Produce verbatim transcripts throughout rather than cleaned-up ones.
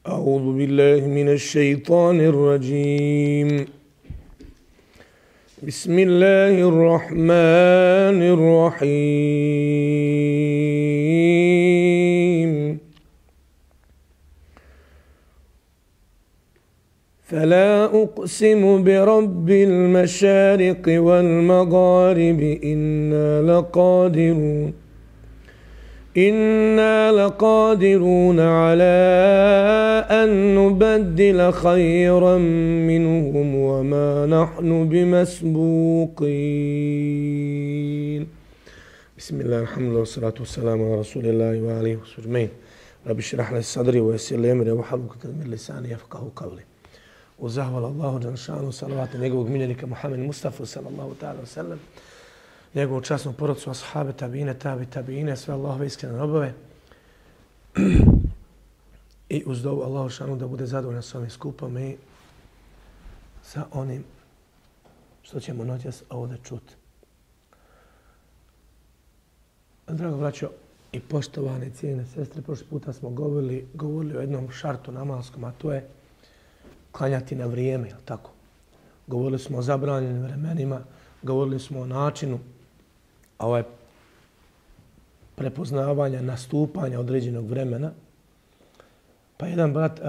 أعوذ بالله من الشيطان الرجيم بسم الله الرحمن الرحيم فلا أقسم برب المشارق والمغارب إنا لقادرون إنا لقادرون على أن نبدل خيرا منهم وما نحن بمسبوقين بسم الله الحمد لله والصلاة والسلام على رسول الله وآله وصحبه أجمعين رب اشرح لي صدري ويسر لي أمري واحلل عقدة من لساني يفقهوا قولي وزهول الله جل شانه صلوات njegovog miljenika Muhammed Mustafa sallallahu ta'ala ve sellem, njegovu časnu porodcu, ashabe, tabine, tabi, tabine, sve Allahove iskrene robove. I uz dovu Allahu šanu da bude zadovoljan s ovim skupom i sa onim što ćemo noćas ovdje čuti. Drago braćo i poštovane cijene sestre, prošli puta smo govorili, govorili o jednom šartu namalskom, a to je klanjati na vrijeme, jel tako? Govorili smo o zabranjenim vremenima, govorili smo o načinu ovaj, prepoznavanja, nastupanja određenog vremena. Pa jedan brat uh,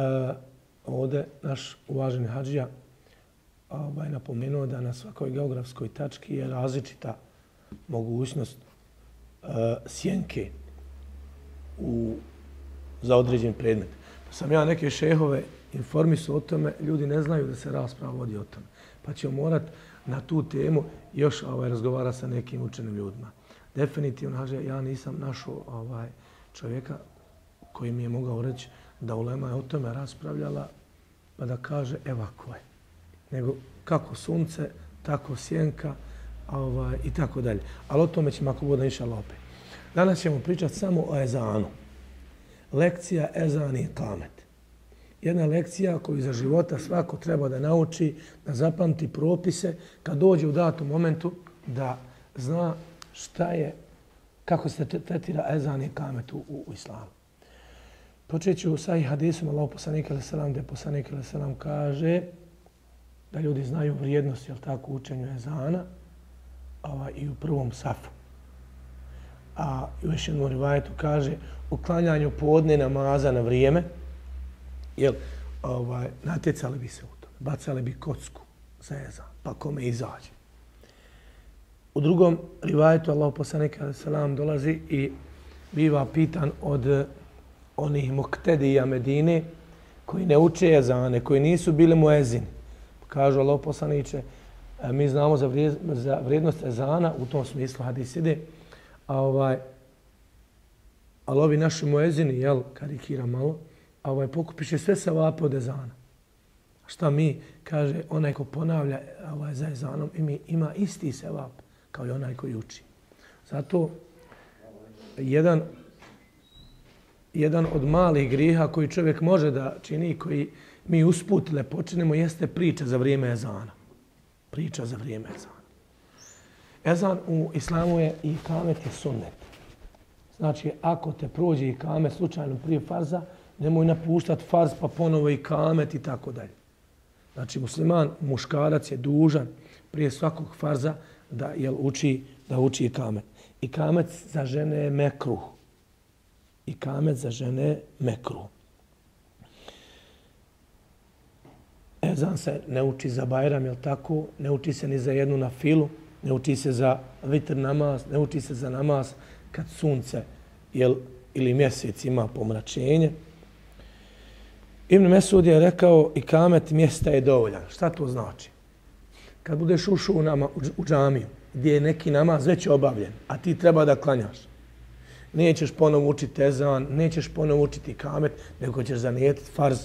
ovdje, naš uvaženi hadžija, ovaj, napomenuo da na svakoj geografskoj tački je različita mogućnost uh, sjenke u, za određen predmet. Pa sam ja neke šehove informisao o tome, ljudi ne znaju da se rasprava vodi o tome. Pa ćemo morat na tu temu još ovaj, razgovara sa nekim učenim ljudima. Definitivno, haže, ja nisam našao ovaj, čovjeka koji mi je mogao reći da ulema je o tome raspravljala pa da kaže evako je. Nego kako sunce, tako sjenka ovaj, i tako dalje. Ali o tome ćemo ako bude inšallah opet. Danas ćemo pričati samo o ezanu. Lekcija ezan i kamet. Jedna lekcija koju za života svako treba da nauči, da zapamti propise, kad dođe u datom momentu da zna šta je, kako se tretira ezan i kamet u, u, u islamu. Počet ću sa i hadisom Allahu poslanika alejhi ve sellem, gdje poslanik alejhi ve sellem kaže da ljudi znaju vrijednost, jel tako, učenju ezana ovaj, i u prvom safu. A u još jednom rivajetu kaže uklanjanju podne namaza na vrijeme, jer ovaj, natjecali bi se u tome, bacali bi kocku za ezan, pa kome izađe. U drugom rivajetu Allahu poslanik alejhi ve sellem dolazi i biva pitan od onih muktedija Medine koji ne uče ezane, koji nisu bili muezini. Kažu Allahu poslaniče, mi znamo za, vrijed, za vrijednost ezana, u tom smislu hadis ide, a ovaj, ali ovi naši muezini, jel, karikira malo, a ovaj pokupiše sve savape od ezana. Šta mi, kaže, onaj ko ponavlja ovaj, za ezanom, ima, ima isti sevap kao i onaj koji uči. Zato jedan, jedan od malih griha koji čovjek može da čini, koji mi usputile počinemo, jeste priča za vrijeme ezana. Priča za vrijeme ezana. Ezan u islamu je i kamet je sunnet. Znači, ako te prođe i kamet slučajno prije farza, nemoj napuštati farz pa ponovo i kamet i tako dalje. Znači, musliman, muškarac je dužan prije svakog farza da jel, uči da uči i kamet. I kamet za žene je mekruh. I kamet za žene je mekruh. Ezan se ne uči za bajram, jel tako? Ne uči se ni za jednu na filu, ne uči se za vitr namaz, ne uči se za namaz kad sunce jel, ili mjesec ima pomračenje. Ibn Mesud je rekao i kamet mjesta je dovoljan. Šta to znači? Kad budeš ušao u, nama, u džamiju gdje je neki namaz već obavljen, a ti treba da klanjaš, nećeš ponovo učiti ezan, nećeš ponovo učiti kamet, nego ćeš zanijetiti farz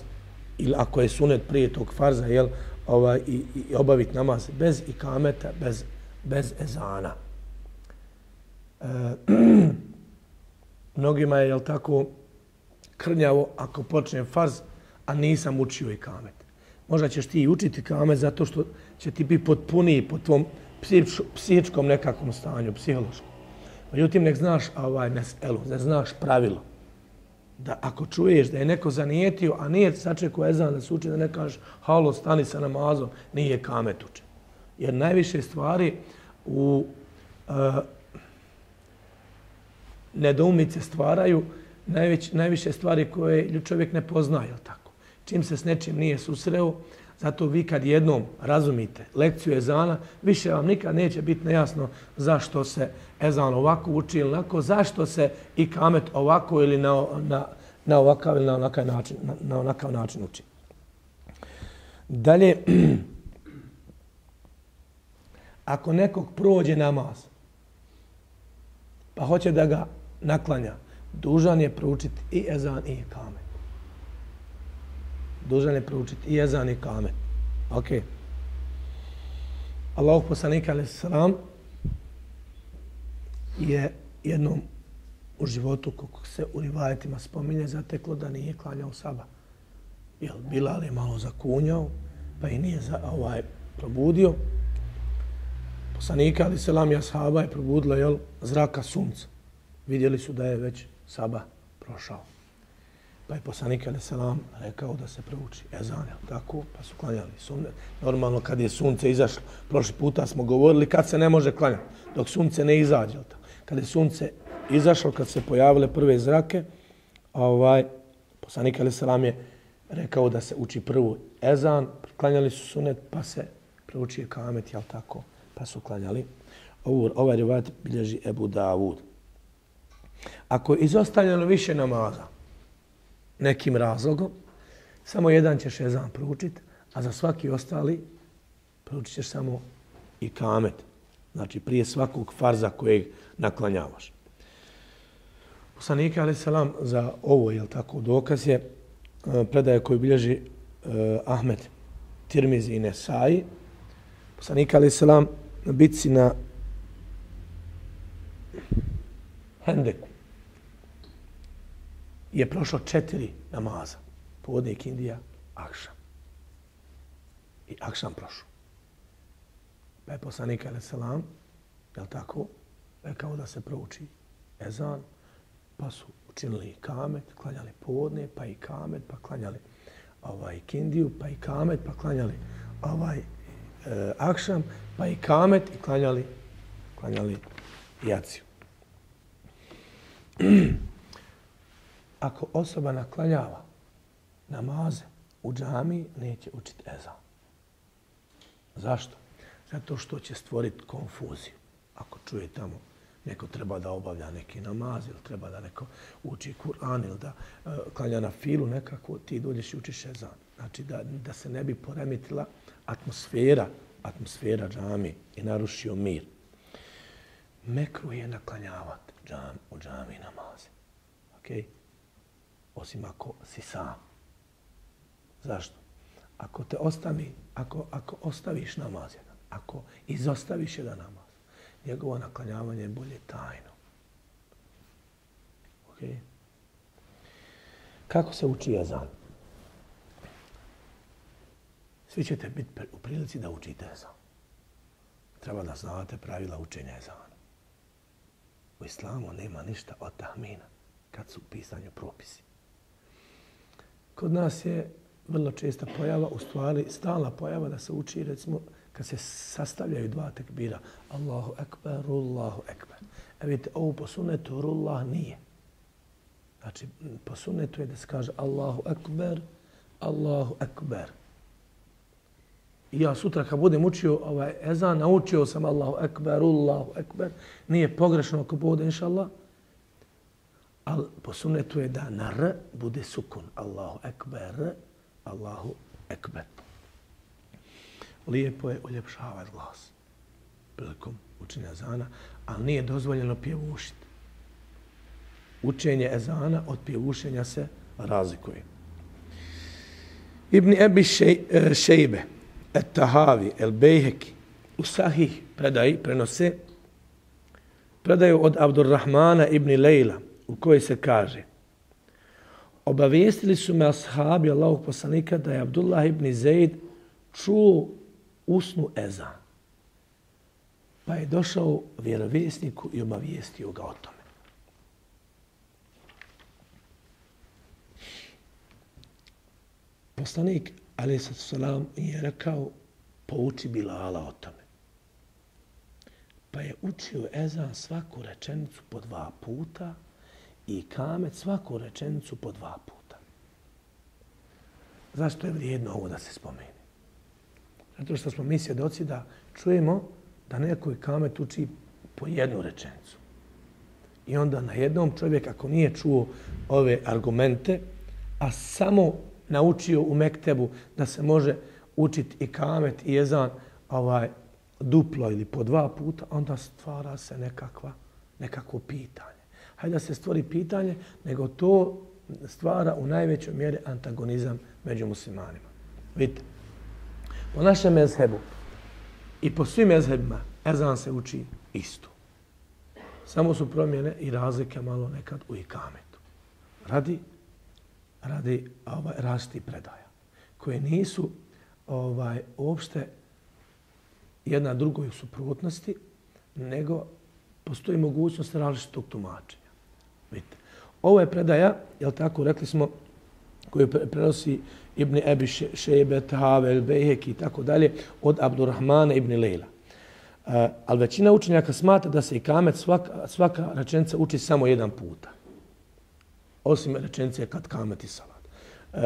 ili ako je sunet prije tog farza jel, ovaj, i, i obaviti namaz bez ikameta, bez, bez ezana. E, mnogima je jel, tako krnjavo ako počne farz, a nisam učio i kamet. Možda ćeš ti učiti kamet zato što će ti biti potpuniji po tvom psihičkom nekakvom stanju, psihološkom. Međutim, nek znaš ovaj meselu, ne znaš pravilo. da ako čuješ da je neko zanijetio, a nije sačekao ezan da se uči, da ne kažeš halo, stani sa namazom, nije kamet učen. Jer najviše stvari u uh, nedoumice stvaraju najveć, najviše stvari koje čovjek ne poznaje, jel tako? Čim se s nečim nije susreo, zato vi kad jednom razumite lekciju ezana, više vam nikad neće biti nejasno zašto se ezan ovako uči ili onako, zašto se i kamet ovako ili na, na, na ovakav ili na onakav način, na, na onakav način uči. Dalje, ako nekog prođe namaz, pa hoće da ga naklanja, dužan je proučiti i ezan i kamet. Dužan je proučiti i ezan i kamet. Ok. Allahov poslanik alejhi selam je jednom u životu, kako se u rivajetima spominje, zateklo da nije klanjao sabah. Jel, Bilal je malo zakunjao, pa i nije za, ovaj, probudio. Poslanik alejhi selam i ashaba je probudila, jel, zraka sunca. Vidjeli su da je već sabah prošao. Pa je poslanik alejhi selam rekao da se prouči ezan, tako, pa su klanjali sunnet. Normalno kad je sunce izašlo, prošli puta smo govorili kad se ne može klanjati, dok sunce ne izađe. Kad je sunce izašlo, kad se pojavile prve zrake, ovaj, poslanik alejhi selam je rekao da se uči prvo ezan, klanjali su sunnet, pa se prouči kamet, jel tako, pa su klanjali. Ovo, ovaj rivajet bilježi Ebu Davud. Ako je izostavljeno više namaza, nekim razlogom, samo jedan ćeš ezan proučiti, a za svaki ostali proučit ćeš samo i kamet. Znači prije svakog farza kojeg naklanjavaš. Poslanik alejhi selam za ovo, jel tako, dokaz je predaje koju bilježi uh, Ahmed, Tirmizi i Nesai. Poslanik alejhi selam na bitci na Hendeku je prošlo četiri namaza. Podne, ikindija, akšam. I akšam prošlo. Pa je poslanik alejhi selam, jel tako, rekao da se prouči ezan, pa su učinili i kamet, klanjali podne, pa i kamet, pa klanjali ovaj, ikindiju, pa i kamet, pa klanjali ovaj, e, akšam, pa i kamet i klanjali, klanjali jaciju. Ako osoba naklanjava namaze u džamiji, neće učiti ezan. Zašto? Zato što će stvoriti konfuziju. Ako čuje tamo neko treba da obavlja neki namaz ili treba da neko uči Kur'an ili da uh, klanja na filu nekako, ti dođeš i učiš ezan. Znači da, da se ne bi poremetila atmosfera, atmosfera džamije i narušio mir. Mekruh je naklanjavati džam, u džamiji namaze. Okay? Osim ako si sam. Zašto? Ako te ostavi, ako, ako ostaviš namaz jedan, ako izostaviš jedan namaz, njegovo naklanjavanje je bolje tajno. Okay? Kako se uči ezan? Svi ćete biti u prilici da učite ezan. Treba da znate pravila učenja ezana. U islamu nema ništa od tahmina kad su u pisanju propisi. Kod nas je vrlo česta pojava, u stvari stalna pojava da se uči, recimo, kad se sastavljaju dva tekbira. Allahu ekber, Allahu ekber. E vidite, ovo po sunnetu rullah nije. Znači, po sunnetu je da se kaže Allahu ekber, Allahu ekber. I ja sutra kad budem učio ovaj ezan, naučio sam Allahu ekber, Allahu ekber. Nije pogrešno ako bude, inša Allah. Ali po sunnetu je da na R bude sukun. Allahu ekber, Allahu ekber. Lijepo je uljepšavati glas prilikom učenja ezana, ali nije dozvoljeno pjevušiti. Učenje ezana od pjevušenja se razlikuje. Ibn Ebi Šejbe, Et-Tahavi, El-Bejheki, u Sahih predaji prenose predaju od Abdurrahmana ibn Lejla, u kojoj se kaže: obavijestili su me ashabi Allahog poslanika da je Abdullah ibn Zeid čuo usnu ezan. Pa je došao vjerovjesniku i obavijestio ga o tome. poslanik alejhi selam je rekao pouči Bilala o tome. Pa je učio ezan svaku rečenicu po dva puta i kamet svaku rečenicu po dva puta. Zašto je vrijedno ovo da se spomeni? Zato što smo mi svjedoci da čujemo da neko kamet uči po jednu rečenicu. I onda na jednom čovjek, ako nije čuo ove argumente, a samo naučio u mektebu da se može učiti i kamet i ezan ovaj, duplo ili po dva puta, onda stvara se nekakva, nekakvo pitanje. Hajde da se stvori pitanje, nego to stvara u najvećoj mjeri antagonizam među muslimanima. Vidite, po našem mezhebu i po svim mezhebima ezan se uči isto. Samo su promjene i razlike malo nekad u ikametu. Radi, radi ovaj, rasti predaja, koje nisu ovaj, uopšte jedna drugoj u suprotnosti, nego postoji mogućnost različitog tumačenja. Vidite, ovo je predaja, jel tako, rekli smo, koju prenosi Ibn Ebi Šejbet, Havel, Bejhek i tako dalje, od Abdurrahmana ibn Lejla. Uh, ali većina učenjaka smatra da se ikamet svaka, svaka rečenica uči samo jedan puta. Osim rečenice kad kamet i salat. Uh,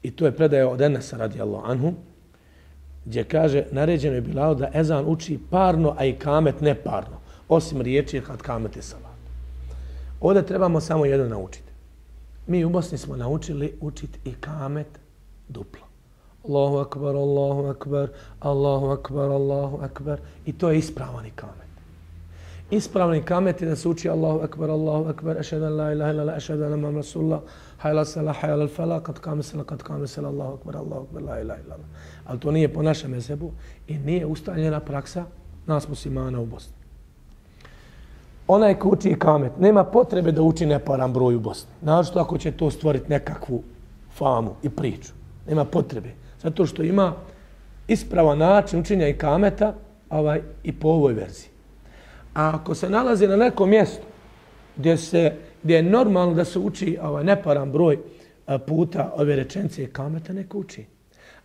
I to je predaja od Enesa radijallahu anhu, gdje kaže naređeno je bilo da ezan uči parno, a ikamet neparno. Osim riječi kad kamet i salat. Ovdje trebamo samo jedno naučiti. Mi u Bosni smo naučili učiti ikamet duplo. Allahu akbar, Allahu akbar, Allahu akbar, Allahu akbar. I to je ispravan ikamet. Ispravan ikamet je da se uči Allahu akbar, Allahu akbar, ašhadu an la ilaha illallah, ašhadu anna muhammadan rasulullah, hayya salah, hayya al falah, kad kame sala, kad kame sala, Allahu akbar, Allahu akbar, la ilaha illallah. Ali to nije po našem mezhebu i nije ustaljena praksa nas muslimana u Bosni. Onaj ko uči ikamet, nema potrebe da uči neparan broj u Bosni. Naravno ako će to stvoriti nekakvu famu i priču. Nema potrebe. Zato što ima ispravan način učenja ikameta ovaj, i po ovoj verziji. A ako se nalazi na nekom mjestu gdje, se, gdje je normalno da se uči ovaj, neparan broj puta ove rečenice ikameta, neko uči.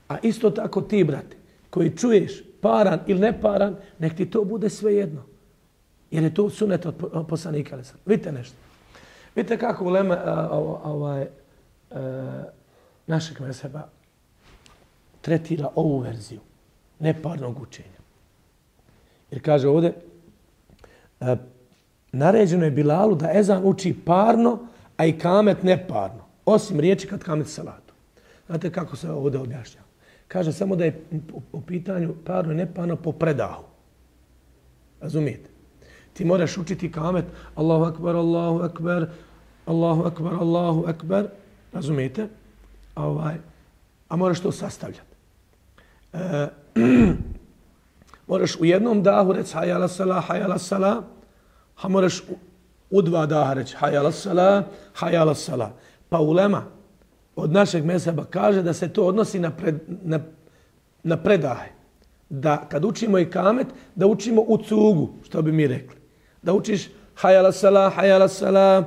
A isto tako ti, brate, koji čuješ paran ili neparan, nek ti to bude svejedno. Jer je to sunet od poslanika. Vidite nešto. Vidite kako ulema ovaj, našeg mezheba tretira ovu verziju neparnog učenja. Jer kaže ovdje, e, naređeno je Bilalu da ezan uči parno, a i kamet neparno. Osim riječi kad kamet salatu. Znate kako se ovdje objašnjava? Kaže samo da je u pitanju parno i neparno po predahu. Razumijete? Ti moraš učiti kamet Allahu akbar, Allahu akbar, Allahu akbar, Allahu akbar. Razumijete? Ovaj, a moraš to sastavljati. E, moraš u jednom dahu reći hayya ala salah, hayya ala salah, a moraš u, u dva daha reći hayya ala salah, hayya ala salah. Pa ulema od našeg mezheba kaže da se to odnosi na, pred, na, na predaje. Da kad učimo ikamet, da učimo u cugu, što bi mi rekli. Da učiš hayya ala salah, hayya ala salah,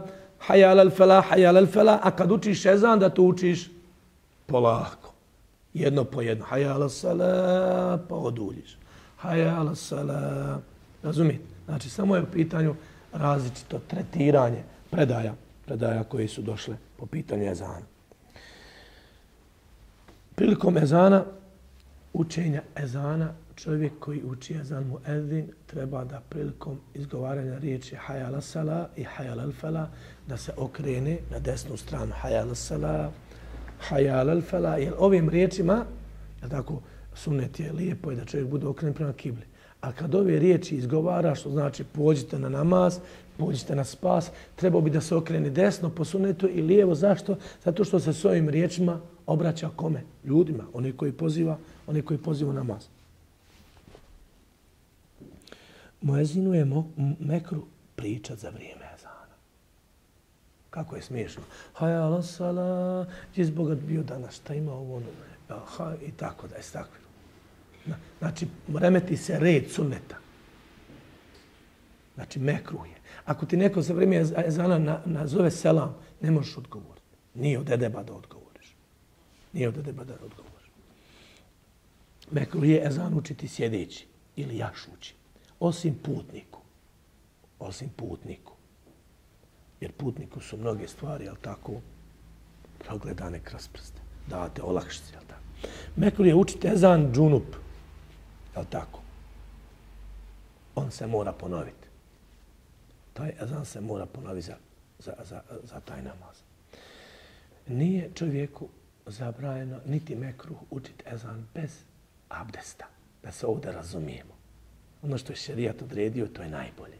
hayya ala falah, hayya ala falah, a kad učiš ezan da to učiš polako. Jedno po jedno. Hayya ala salah, pa oduljiš. Hayya ala salah. Razumijete? Znači, samo je u pitanju različito tretiranje predaja, predaja koje su došle po pitanju ezana. Prilikom ezana, učenja ezana, čovjek koji uči ezan muezzin treba da prilikom izgovaranja riječi hayya ala salah i hayya ala falah da se okrene na desnu stranu. Hayya ala salah, hayya ala falah. Jer ovim riječima, je tako, sunnet je lijepo i da čovjek bude okrenut prema kibli. A kad ove riječi izgovara, što znači pođite na namaz, pođite na spas, trebao bi da se okrene desno po sunnetu i lijevo. Zašto? Zato što se s ovim riječima obraća kome? Ljudima, oni koji poziva, oni koji poziva namaz. Muezinu je mo, mekru pričat za vrijeme ezana. Kako je smiješno. Hayya ala salah, gdje zbog bio danas, šta ima ovo, ha, i tako da je stakvilo. Znači, remeti se red sunneta. Znači, mekruh je. Ako ti neko za vrijeme ezana nazove selam, ne možeš odgovoriti. Nije od edeba da odgovoriš. Nije od edeba da odgovoriš. Mekruh je ezan učiti sjedeći ili jašući. Osim putniku. Osim putniku. Jer putniku su mnoge stvari, jel tako, progledane kroz prste. Davate olakšice, jel tako. Mekruh je učiti ezan džunup. Jel tako? On se mora ponoviti. Taj ezan se mora ponoviti za, za, za, za taj namaz. Nije čovjeku zabranjeno niti mekruh učiti ezan bez abdesta. Da se ovdje razumijemo. Ono što je šerijat odredio, to je najbolje.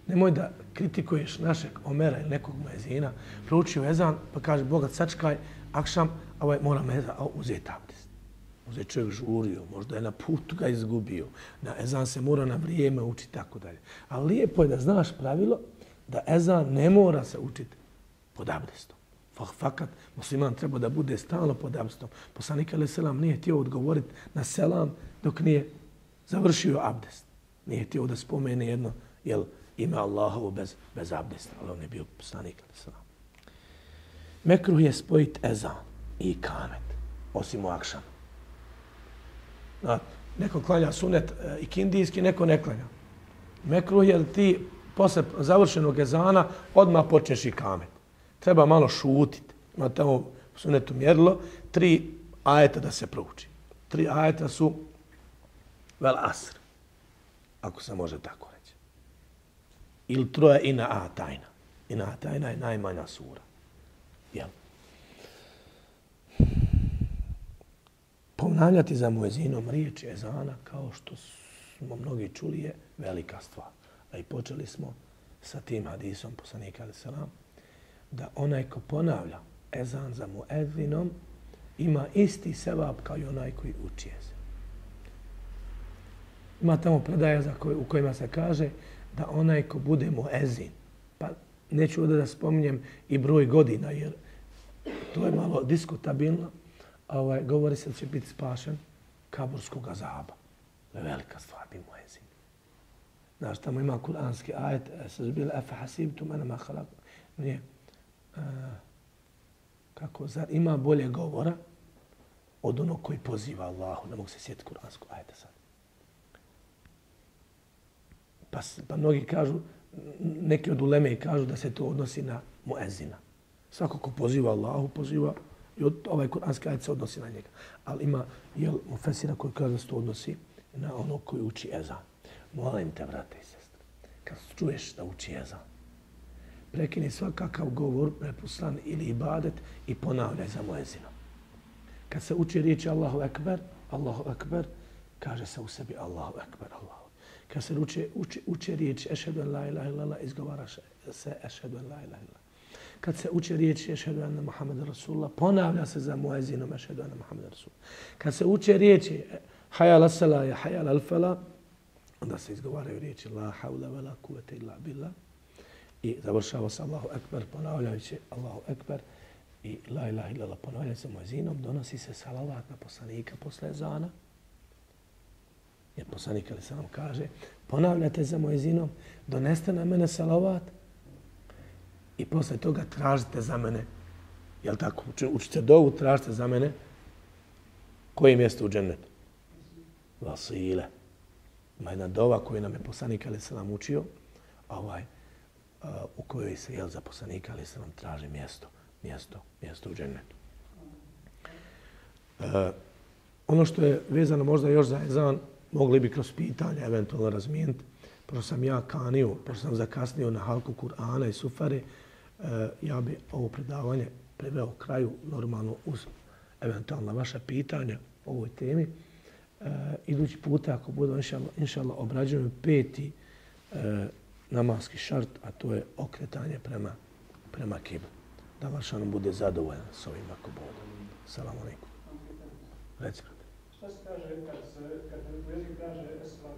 Nemoj da kritikuješ našeg Omera ili nekog muezina, proučio ezan, pa kaže Boga sačkaj, akšam, a ovaj mora meza, a uzeti abdest. Možda je čovjek žurio, možda je na putu ga izgubio, na ezan se mora na vrijeme učiti, tako dalje. Ali lijepo je da znaš pravilo da ezan ne mora se učiti pod abdestom. Fakat, musliman treba da bude stalno pod abdestom. Poslanik alejhi selam nije htio odgovoriti na selam dok nije završio abdest. Nije htio da spomene jedno, jel, ime Allahovo bez, bez abdesta, ali on je bio poslanik alejhi selam. Mekruh je spojiti ezan i kamet, osim u akšamu. Neko klanja sunet i kindijski, neko ne klanja. Mekruh je da ti posle završenog ezana odmah počneš i kamet. Treba malo šutiti. Ima tamo u sunetu mjerilo tri ajeta da se prouči. Tri ajeta su vel asr, ako se može tako reći. Ili troje ina a tajna. Ina a tajna je najmanja sura. Jel? Ponavljati za muezinom riječi ezana, kao što smo mnogi čuli, je velika stvar. A i počeli smo sa tim hadisom poslanika alejhi selam, da onaj ko ponavlja ezan za muezinom ima isti sevap kao i onaj koji uči ezan. Ima tamo predaje za koj, u kojima se kaže da onaj ko bude muezin, pa neću ovdje da spominjem i broj godina, jer to je malo diskutabilno, ovaj, govori se da će biti spašen kaburskog azaba. To je velika stvar, bi muezin. Znaš, tamo ima kuranski ajet, sazbila efa hasibtum anama khalaq. Nije. Uh, kako, zar ima bolje govora od onog koji poziva Allahu? Ne mogu se sjetiti kuranskog ajeta sad. Pa, pa mnogi kažu, neki od uleme kažu da se to odnosi na muezina. Svako ko poziva Allahu, poziva i od, ovaj kuranski ajet se odnosi na njega. Ali ima jel, mufesira koji kaže da se to odnosi na onog koji uči ezan. Molim te, brate i sestre, kad čuješ da uči ezan, prekini svakakav govor, prepuslan ili ibadet i ponavljaj za muezinom. Kad se uči riječi Allahu ekber, Allahu ekber, kaže se u sebi Allahu ekber, Allahu. Kad se uči, uči, uči riječi ešhedu en la ilaha illallah, izgovara se ešhedu en la ilaha illallah. Kad se uči riječi ešhedu enne Muhammed Rasulullah, ponavlja se za muezinom ešhedu enne Muhammed Rasulullah. Kad se uči riječi hayal as-sala ya hayal al-fala, onda se izgovaraju riječi la hawla wa la quwwata illa billah. I završava se Allahu ekber, ponavljajući Allahu ekber i la ilaha illallah, ponavljajući se muezinom, donosi se salavat na poslanika posle ezana. Jer poslanik alejhi selam kaže, ponavljate za muezinom, doneste na mene salavat i posle toga tražite za mene. Jel tako? Učite dovu, tražite za mene. Koje mjesto u džennetu? Vasile. Ima jedna dova koju nam je poslanik alejhi selam učio, a ovaj, uh, u kojoj se jel za poslanika alejhi selam traži mjesto, mjesto, mjesto u džennetu. Uh, ono što je vezano možda još za ezan, mogli bi kroz pitanje eventualno razmijeniti. Pošto sam ja kanio, pošto sam zakasnio na halku Kur'ana i Sufare, ja bi ovo predavanje priveo kraju normalno uz eventualna vaša pitanja o ovoj temi. Idući puta, ako budu inšallah obrađujem peti namaski šart, a to je okretanje prema, prema kibli. Da vaš ono bude zadovoljan s ovim ako bude. Salamu alaikum. Reci. Šta se kaže kad se, kad jezik kaže eslam